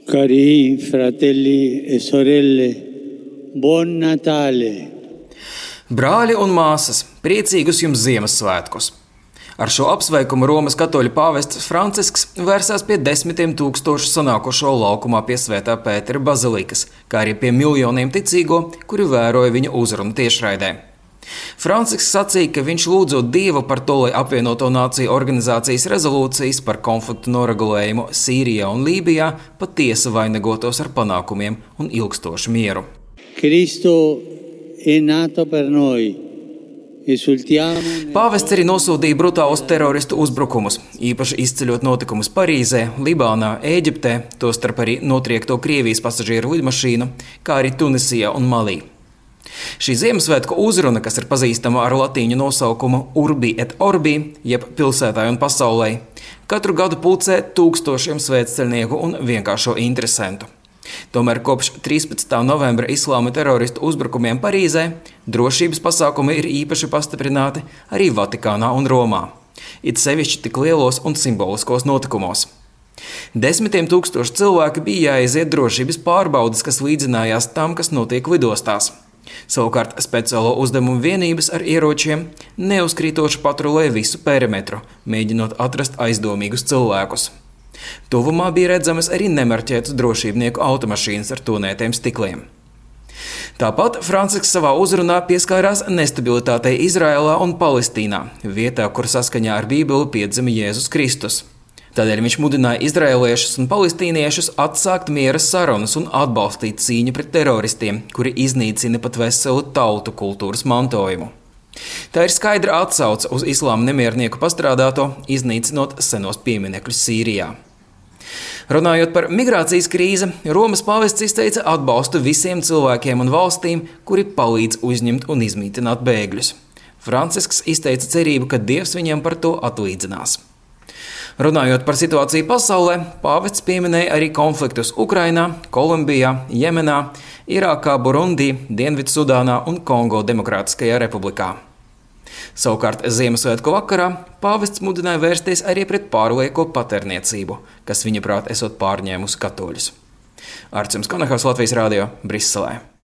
Cari fratelli e sorelle, buon Natale! Brāļi un māsas, priecīgus jums Ziemassvētkus! Ar šo apsveikumu Romas katoļu pāvests Francisks vērsās pie 10 000 sanākušo laukumā pie Svētā Pētera bazilikas, kā arī pie miljoniem ticīgo, kuri vēroja viņa uzrunu tiešraidē. Francisks sacīja, ka viņš lūdzot Dievu par to, lai apvienoto nāciju organizācijas rezolūcijas par konfliktu noregulējumu Sīrijā un Lībijā patiesi vainagotos ar panākumiem un ilgstošu mieru. Cristo è nato per noi. Pāvests arī nosodīja brutālus teroristu uzbrukumus, īpaši izceļot notikumus Parīzē, Libānā, Ēģiptē, tostarp arī notriekto Krievijas pasažieru lidmašīnu, kā arī Tunisijā un Malī. Šī Ziemassvētku uzruna, kas ir pazīstama ar latīņu nosaukumu Urbi et Orbi, jeb pilsētai un pasaulē, katru gadu pulcē tūkstošiem svētceļnieku un vienkāršo interesentu. Tomēr kopš 13. novembra islāma teroristu uzbrukumiem Parīzē drošības pasākumi ir īpaši pastiprināti arī Vatikānā un Romā, it sevišķi tik lielos un simboliskos notikumos. 10 000 cilvēki bija jāiziet drošības pārbaudes, kas līdzinājās tam, kas notiek lidostās. Savukārt speciālo uzdevumu vienības ar ieročiem neuzkrītoši patrulē visu perimetru, mēģinot atrast aizdomīgus cilvēkus. Tuvumā bija redzamas arī nemarķētas drošībnieku automašīnas ar tonētiem stikliem. Tāpat Francisks savā uzrunā pieskārās nestabilitātei Izraēlā un Palestīnā, vietā, kur saskaņā ar Bībeli piedzima Jēzus Kristus. Tādēļ viņš mudināja izraēliešus un palestīniešus atsākt miera sarunas un atbalstīt cīņu pret teroristiem, kuri iznīcina pat veselu tautu kultūras mantojumu. Tā ir skaidra atsauce uz islāma nemiernieku pastrādāto, iznīcinot senos pieminekļus Sīrijā. Runājot par migrācijas krīzi, Romas pāvests izteica atbalstu visiem cilvēkiem un valstīm, kuri palīdz uzņemt un izmītināt bēgļus. Francisks izteica cerību, ka Dievs viņiem par to atlīdzinās. Runājot par situāciju pasaulē, pāvests pieminēja arī konfliktus Ukrainā, Kolumbijā, Jemenā, Irākā, Burundī, Dienvidsudānā un Kongo Demokrātiskajā republikā. Savukārt Ziemassvētku vakarā pāvests mudināja vērsties arī pret pārlieko patērniecību, kas viņa prāt esot pārņēmusi katoļus. Arcims Konahovs, Latvijas radio, Briselē.